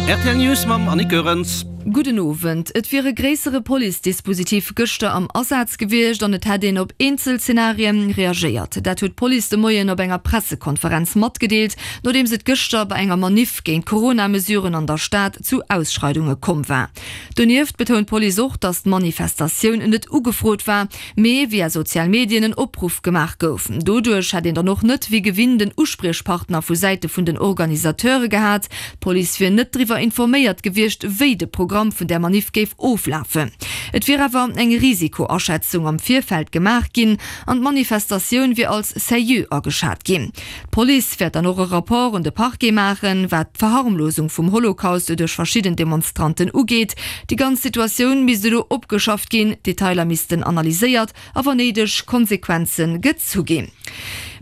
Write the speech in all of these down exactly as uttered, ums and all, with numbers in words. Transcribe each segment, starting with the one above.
Rtl News mam Annick Goerens. Gudden Owend. Et wier e gréissere Police-Dispositif gëschter am Asaz gewiescht an et hätt een op eenzel Zenarien reagéiert. Dat huet d'Police de Moien op enger Pressekonferenz matgedeelt, nodeems et gëschter bei enger Maniff géint d'Corona-Mesuren an der Stad zu Ausschreidunge komm war. Donieft betount d'Police och, datt d'Manifestatioun net ugefrot war, mee via sozial Medien en Opruff gemaach gouf. Doduerch hätt een dann och net wéi gewinnt en Uspriechpartner vu Säite vun den Organisateure gehat. D'Police wier net driwwer informéiert gewiescht, wéi de Programm vun där Maniff géif oflafen. Et wier awer eng Risikoaschätzung am Virfeld gemaach ginn an d'Manifestatioun wier als sérieux ageschat ginn. D'Police wäert dann och e Rapport un de Parquet maachen, wat d'Verharmlosung vum Holocaust duerch verschidden Demonstranten ugeet. Déi ganz Situatioun misst elo opgeschafft ginn, d'Detailer missten analyséiert a wann néideg Konsequenze gezu ginn.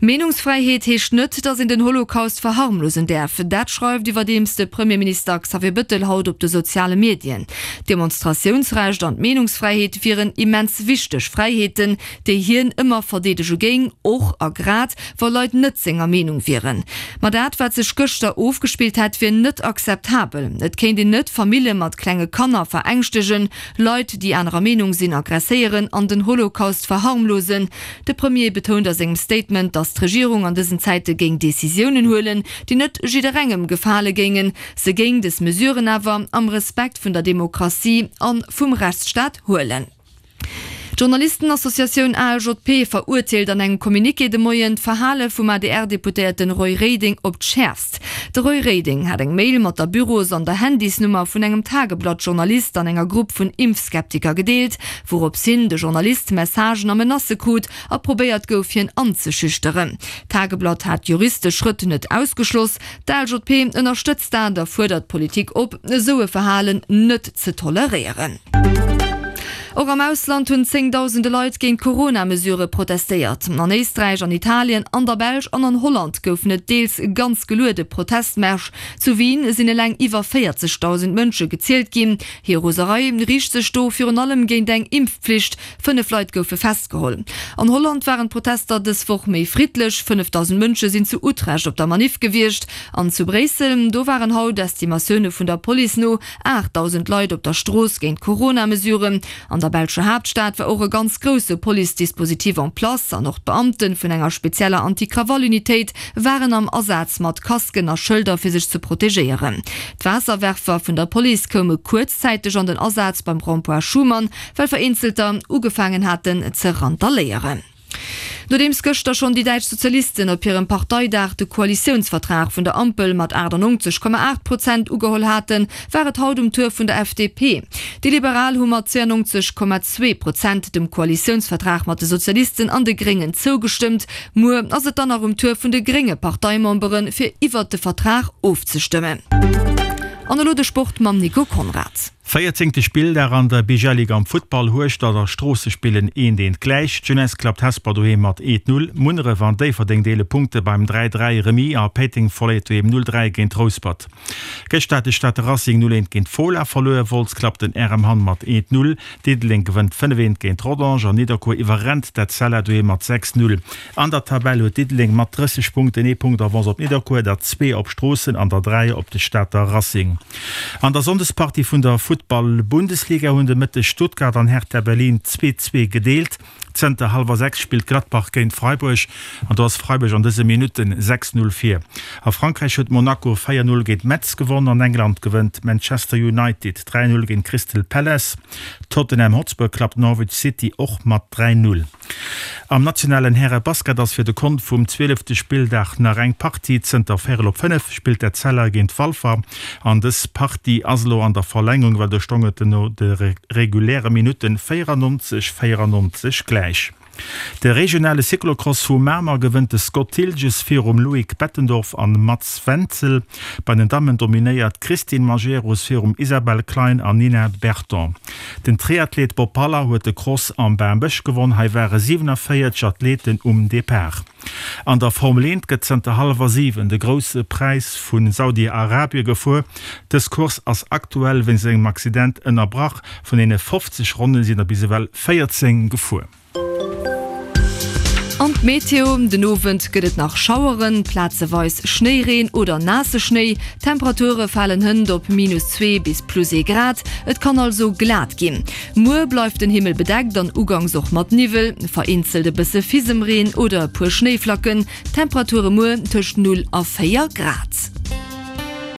Meenungsfräiheet heescht net, datt een den Holocaust verharmlosen däerf. Dat schreift iwwerdeems de Premierminister Xavier Bëttel haut op de soziale Medien. D'Demonstratiounsrecht an d'Meenungsfräiheet wieren immens wichteg Fräiheeten, déi hien ëmmer verdeedege géing, och a grad wa Leit net senger Meenung wieren. Ma dat, wat sech gëschter ofgespillt hätt, wier net akzeptabel. Et kéint een net Famille mat klenge Kanner verängschtegen, Leit, déi anerer Meenung sinn, aggresséieren an den Holocaust verharmlosen. De Premier betount a sengem Statement, datt d'Regierung an dësen Zäite géing Decisiounen huelen, déi net jidderengem gefale géingen. Se géing dës Mesuren awer am Respekt vun der Demokratie a vum Rechtsstaat huelen. D'Journalistenassociatioun ALJP verurteelt an engem Communiqué de Moien d'Verhale vum A D R-Deputéierten Roy Reding op d'Schäerfst. De Roy Reding hat eng Mail mat der Büros an der Handysnummer vun engem Tageblatt-Journalist an enger Grupp vun Impfskeptiker gedeelt, wourops hin de Journalist Messagen a Menacë krut a probéiert gouf, hien anzeschüchteren. D'Tageblatt hat juristesch Schrëtt net ausgeschloss. D'A L J P ënnerstëtzt dat a fuerdert d'Politik op, esou e Verhalen net ze toleréieren. Och am Ausland hunn zéngdausende Leit géint d'Corona-Mesurë protestéiert. An Éisträich, an Italien, an der Belsch an an Holland goufen et deels ganz geluede Protestmärsch. Zu Wien sinn eleng iwwer véierzegdausend Mënsche gezielt ginn. Hir Roserei riicht sech do virun allem géint eng Impfpflicht. Fënnef Leit goufe festgeholl. An Holland waren d'Protester dës Woch méi friddlech, fënnefdausend Mënsche sinn zu Utrecht op der Maniff gewiescht. An zu Bréissel, do waren haut Estimatioune vun der Police no aachtdausend Leit op der Strooss géint d'Corona-Mesuren. An der belscher Haaptstad war och e ganz grousse Police-Dispositif en place an och d'Beamte vun enger spezieller Anti-Krawall-Unitéit waren am Asaz mat Casquen a Schëlder fir sech ze protegéieren. D'Waasserwerfer vun der Police koume kuerzzäiteg an den Asaz beim Rond-point Schuman, well vereenzelter ugefaangen haten ze randaléieren. Nodeems gëschter schonn déi däitsch Sozialisten op hirem Parteidag de Koalitiounsvertrag vun der Ampel mat achtannongzeg Komma aacht Prozent ugeholl haten, war et haut um Tour vun der F D P. Déi Liberal hu mat zweeannongzeg Komma zwee Prozent dem Koalitiounsvertrag mat de Sozialisten an de Gréngen zougestëmmt. Muer ass et dann nach um Tour vun de grénge Parteimemberen, fir iwwert de Vertrag ofzestëmmen. An elo de Sport mam Nico Conrad. Véierzéngte Spilldag an der B G L Liga am Futtball, Hueschtert a Stroosse spillen eent eent gläich. D'Jeunesse klappt Hesper doheem mat eent null. Munneref an Déifferdeng deele Punkte beim dräi dräi Remis a Péiteng verléiert doheem null dräi géint Rouspert. Gëschter hat de Stater Racing null eent géint Fola verluer. Wolz klappt den R M Hamm mat eent null. Diddeleng gewënnt fënnef eent géint Rodange an Nidderkuer iwwerrennt d'Etzella doheem mat sechs null. An der Tabell huet Diddeleng mat drësseg Punkten ee Punkt Avance op Nidderkuer, der zwee op Stroossen an der dräi op de Stater Racing. An der Sonndespartie vun der Futtball-Bundesliga hunn de Mëtteg Stuttgart an Hertha Berlin zwee zwee gedeelt. Zënter hallwer sechs spillt Gladbach géint Freiburg an do ass Freiburg an dëse Minutten sechs null vir. A Frankräich huet Monaco véier null géint Metz gewonn. An England gewënnt Manchester United dräi null géint Crystal Palace. Tottenham Hotspur klappt Norwich City och mat dräi null. Am nationalen Häre-Basket ass fir de Kont vum zwielefte Spilldag nach eng Partie. Zënter véierel op fënnef spillt d'Etzella géint Walfer an dës Partie ass elo an der Verlängerung, well do stong et no de reguläre Minutten véierannonzeg, véierannonzeg gläich. De regionale Cyclocross vu Mamer gewënnt de Scott Thilges virum Loïc Bettendorf an Mats Wenzel. Bei den Dammen dominéiert d'Christine Majerus virum Isabelle Klein an Nina Berton. Den Triathlet Bob Haller huet de Cross am Bambësch gewonn, hei ware siwenavéierzeg Athleten um Depart. An der Formel eent gëtt zënter hallwer siwen de Grousse Präis vu Saudi-Arabie gefuer. Dës Course ass aktuell wéinst engem Accident ënnerbrach. Vun deene fofzeg Ronne sinn der bis ewell véierzéng gefuer. An Meteo, Den Owend gëtt et nach Schaueren, plazeweis Schnéireen oder naasse Schnéi. D'Temperature falen hënt op minus zwee bis plus ee Grad, et kann also glat ginn. Muer bleift den Himmel bedeckt an ugangs och mat Niwwel, vereenzelt e bësse Fisemreen oder e puer Schnéiflacken. Temperature muer tëscht null a véier Grad.